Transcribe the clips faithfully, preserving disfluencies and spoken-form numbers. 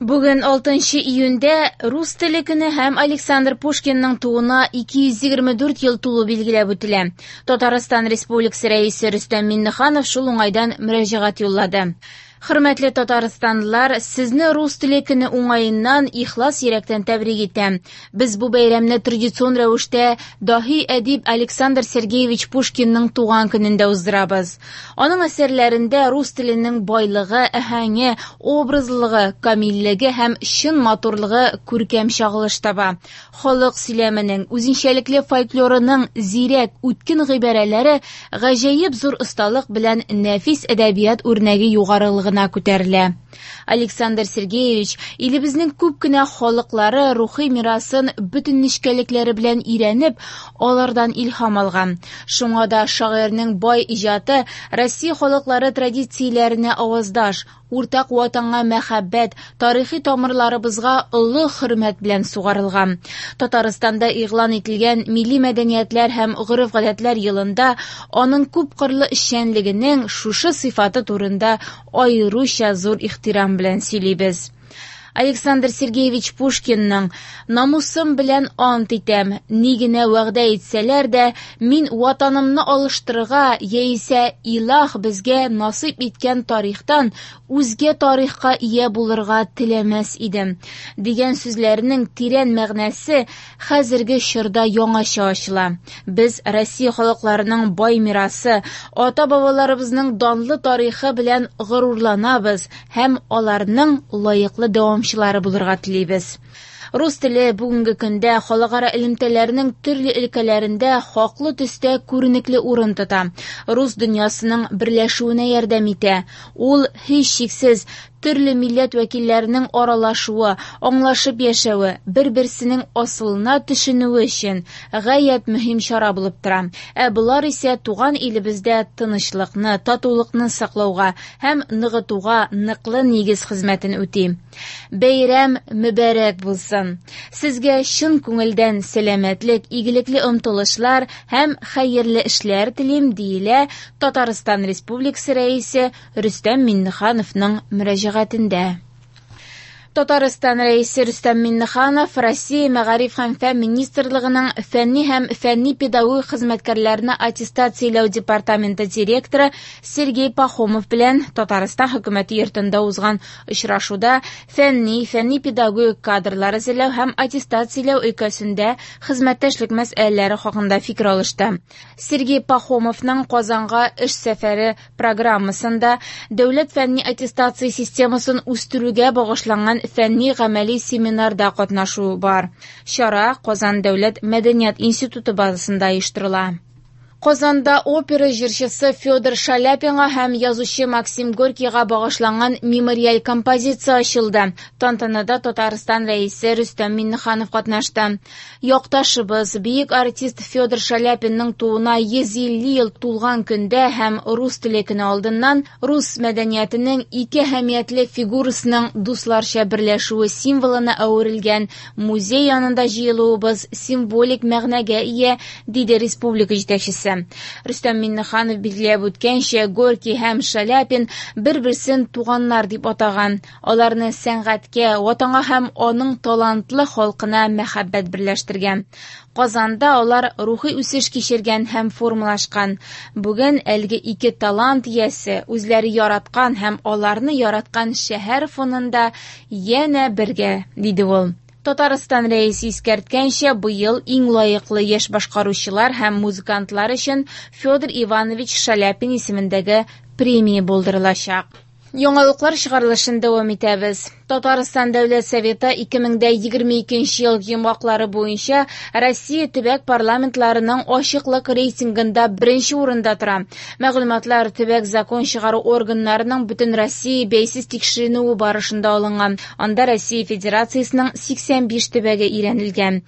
Бүген алтынчы июньдә рус теле көне һәм Александр Пушкинның тууына ике йөз егерме дүрт ел тулу билгеләп үтелә. Татарстан Республикасы Рәисе Рөстәм Миңнеханов шул уңайдан мөрәҗәгать юллады. Хөрмәтле татарстанлылар, сезне рус теле көне уңаеннан ихлас йөрәктән тәбрик итәм. Без бу бәйрәмне традицион рәвештә даһи әдип Александр Сергеевич Пушкинның туган көнендә уздырабыз. Аның әсәрләрендә рус теленең байлыгы, әһәңе, образлылыгы, камиллеге һәм чын матурлыгы күркәм чагылыш таба. Халык сөйләменең, үзенчәлекле фольклорының зирәк, үткен гыйбарәләре гаҗәеп зур осталык белән нәфис әдәбият үрнәге югарылыгына күтәрелә. Александр Сергеевич илебезнең күп кенә халыклары рухи мирасын бөтен нечкәлекләре белән өйрәнеп, алардан илһам алган. Шуңа да шагыйрьнең бай иҗаты Россия халыклары традицияләренә аваздаш, уртак ватанга мәхәббәт, тарихи тамырларыбызга олы хөрмәт белән сугарылган. Татарстанда игълан ителгән Милли мәдәниятләр һәм гореф-гадәтләр елында аның күпкырлы эшчәнлегенең шушы сыйфаты турында аеруча зур ихтирам белән сөйлибез. Александр Сергеевич Пушкинның «Намусым белән ант итәм, ни генә вәгъдә итсәләр дә, мин ватанымны алыштырырга яисә илаһ безгә насыйп иткән тарихтан үзгә тарихка ия булырга теләмәс идем» дигән сүзләренең тирән мәгънәсе хәзерге чорда яңача ачыла. Без Россия халыкларының бай мирасы, ата-бабаларыбызның данлы тарихы белән горурланабыз һәм аларның лаеклы дәвамчылары булырга телибез. Рус теле бүгенге көндә халыкара элемтәләрнең төрле өлкәләрендә хаклы төстә күренекле урын тота. Рус дөньясының берләшүенә ярдәм итә. Ул һичшиксез төрле милләт вәкилләренең аралашуы, аңлашып яшәве, бер-берсенең асылына төшенүе өчен гаять мөһим чара булып тора. Ә болар исә туган илебездә тынычлыкны, татулыкны саклауга һәм ныгытуга ныклы нигез хезмәтен үти. Бәйрәм мөбарәк булсын. Сезгә чын күңелдән сәламәтлек, игелекле омтылышлар һәм хәерле эшләр телим, диелә Татарстан Республикасы Рәисе Рөстәм Миңнехановның мөрәҗәгатендә. Татарстан Рәисе Рөстәм Миңнеханов Россия Мәгариф һәм фән министрлыгының фәнни һәм фәнни-педагогик хезмәткәрләрне аттестацияләү департаменты директоры Сергей Пахомов белән Татарстан хөкүмәте йортында узган очрашуда фәнни, фәнни-педагогик кадрлар әзерләү һәм аттестацияләү өлкәсендә хезмәттәшлек мәсьәләләре хакында фикер алышты. Сергей Пахомовның Казанга эш сәфәре программасында дәүләт фәнни аттестация системасын үстерүгә багышланган фәнни гамәли семинарда катнашу бар. Чара Казан дәүләт мәдәният институты базасында оештырыла. Казанда опера җырчысы Федор Шаляпинга һәм язучы Максим Горькийга багышланган мемориаль композиция ачылды. Тантанада Татарстан Рәисе Рөстәм Миңнеханов катнашты. Якташыбыз, бөек артист Федор Шаляпинның тууына йөз илле ел тулган көндә һәм рус теле көне алдыннан рус мәдәниятенең ике әһәмиятле фигурасының дусларча берләшүе символына әверелгән музей янында җыелуыбыз символик мәгънәгә ия, диде республика җитәкчесе. Рөстәм Миңнеханов билгеләп үткәнчә, Горький һәм Шаляпин бер-берсен туганнар дип атаган. Аларны сәнгатькә, ватанга һәм аның талантлы халкына мәхәббәт берләштергән. Казанда алар рухи үсеш кичергән һәм формалашкан. Бүген әлеге ике талант иясе үзләре яраткан һәм аларны яраткан шәһәр фонында янә бергә, диде ул. Татарстан Рәисе искәрткәнчә, быел иң лаеклы яшь башкаручылар һәм музыкантлар өчен Федор Иванович Шаляпин исемендәге премия булдырылачак. Яңалыклар чыгарылышын дәвам итәбез. Татарстан Дәүләт Советы ике мең дә егерме икенче ел йомгаклары буенча Россия төбәк парламентларының ачыклык рейтингында беренче урында тора. Мәгълүматлар төбәк закон чыгару органнарының бөтен Россия бәйсез тикшеренүе барышында алынган. Анда Россия Федерациясенең сиксән биш төбәге өйрәнелгән.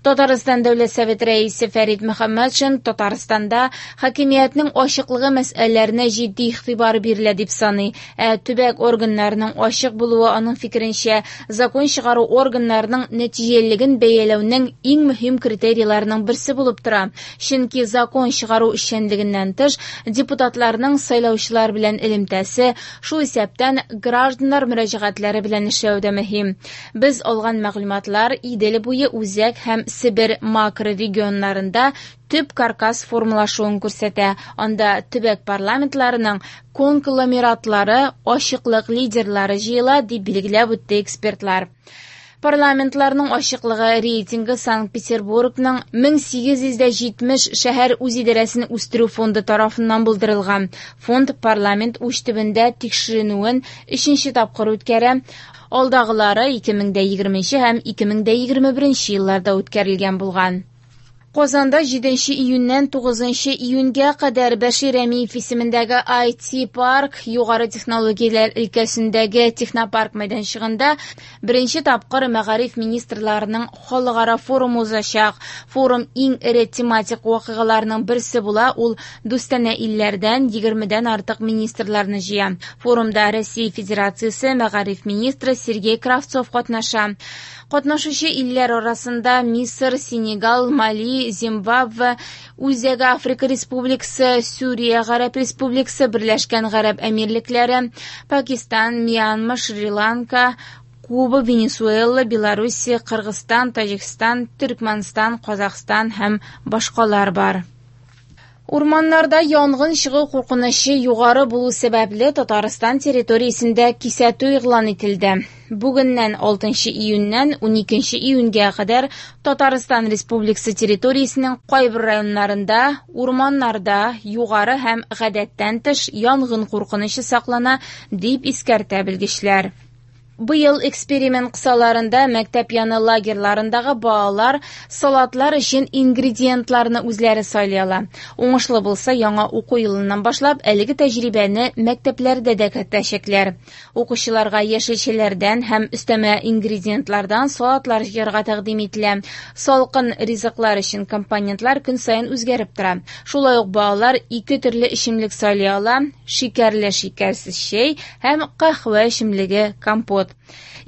Татарстан Дәүләт Советы рәисе Фәрит Мөхәммәтшин Татарстанда хакимиятнең ачыклыгы мәсьәләләренә җитди игътибар бирелә дип саный. Ә төбәк органнарының ачык булуы аның фикеренчә фикеренчә, закон чыгару органнарының нәтиҗәлелеген бәяләүнең иң мөһим критерийларының берсе булып тора. Чөнки закон чыгару эшчәнлегеннән тыш, депутатларның сайлаучылар белән элемтәсе, шул исәптән гражданнар мөрәҗәгатьләре белән эшләү дә мөһим. Без алган мәгълүматлар Идел буе үзәк һәм Себер макрорегионнарында төп каркас формалашуын күрсәтә. Анда төбәк парламентларының конгломератлары, ачыклык лидерлары җыела, дип билгеләп үтте экспертлар. Парламентларның ачыклыгы рейтингы Санкт-Петербургның мең сигез йөз җитмеш шәһәр үзидарәсен үстерү фонды тарафыннан булдырылган. Фонд парламент уч төбендә тикшеренүен өченче тапкыр үткәрә. Алдагылары ике мең дә егерменче һәм ике мең дә егерме беренче елларда үткәрелгән булган. Казанда җиденче июньнән тугызынчы июньгә кадәр Бәшир Рәмиев исемендәге ай ти парк югары технологияләр өлкәсендәге технопарк мәйданчыгында беренче тапкыр мәгариф министрларының халыкара форумы узачак. Форум иң эре тематик вакыйгаларның берсе була, ул дустанә илләрдән егермедән артык министрларны җыя. Форумда Россия Федерациясе мәгариф министры Сергей Кравцов катнаша. Катнашучы илләр арасында Мисыр, Сенегал, Мали, Зимбабве, Үзәк Африка Республикасы, Сүрия Гарәп Республикасы, Берләшкән Гарәп Әмирлекләре, Пакистан, Мьянма, Шри-Ланка, Куба, Венесуэла, Белоруссия, Кыргызстан, Таҗикстан, Төркмәнстан, Казахстан һәм башкалар бар. Урманнарда янгын чыгу куркынычы югары булу сәбәпле Татарстан территориясендә кисәтү игълан ителде. Бүгеннән алтынчы июньнән уникенче июньгә кадәр Татарстан Республикасы территориясенең кайбер районнарында урманнарда югары һәм гадәттән тыш янгын куркынычы саклана, дип искәртә белгечләр. Быел эксперимент кысаларында мәктәп яны лагерьларындагы балалар салатлар өчен ингредиентларны үзләре сайлый ала. Уңышлы булса, яңа уку елыннан башлап әлеге тәҗрибәне мәктәпләрдә дә кертәчәкләр. Укучыларга яшелчәләрдән һәм өстәмә ингредиентлардан салатлар җыярга тәкъдим ителә. Салкын ризыклар өчен компонентлар көн саен үзгәреп тора. Шулай ук балалар ике төрле эчемлек сайлый ала: шикәрле, шикәрсез чәй һәм каһвә эчемлеге компот.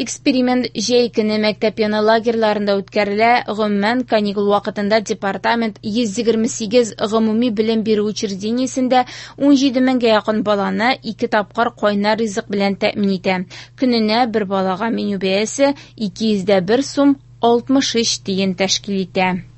Эксперимент җәй көне мәктәп яны лагерьларында үткәрелә. Гомумән, каникул вакытында департамент йөз егерме сигез гомуми белем бирү учреждениесендә ун җиде меңгә якын баланы ике тапкыр кайнар ризык белән тәэмин итә. Көненә бер балага меню бәясе ике йөз дә бер сум алтмыш өч тиен тәшкил итә.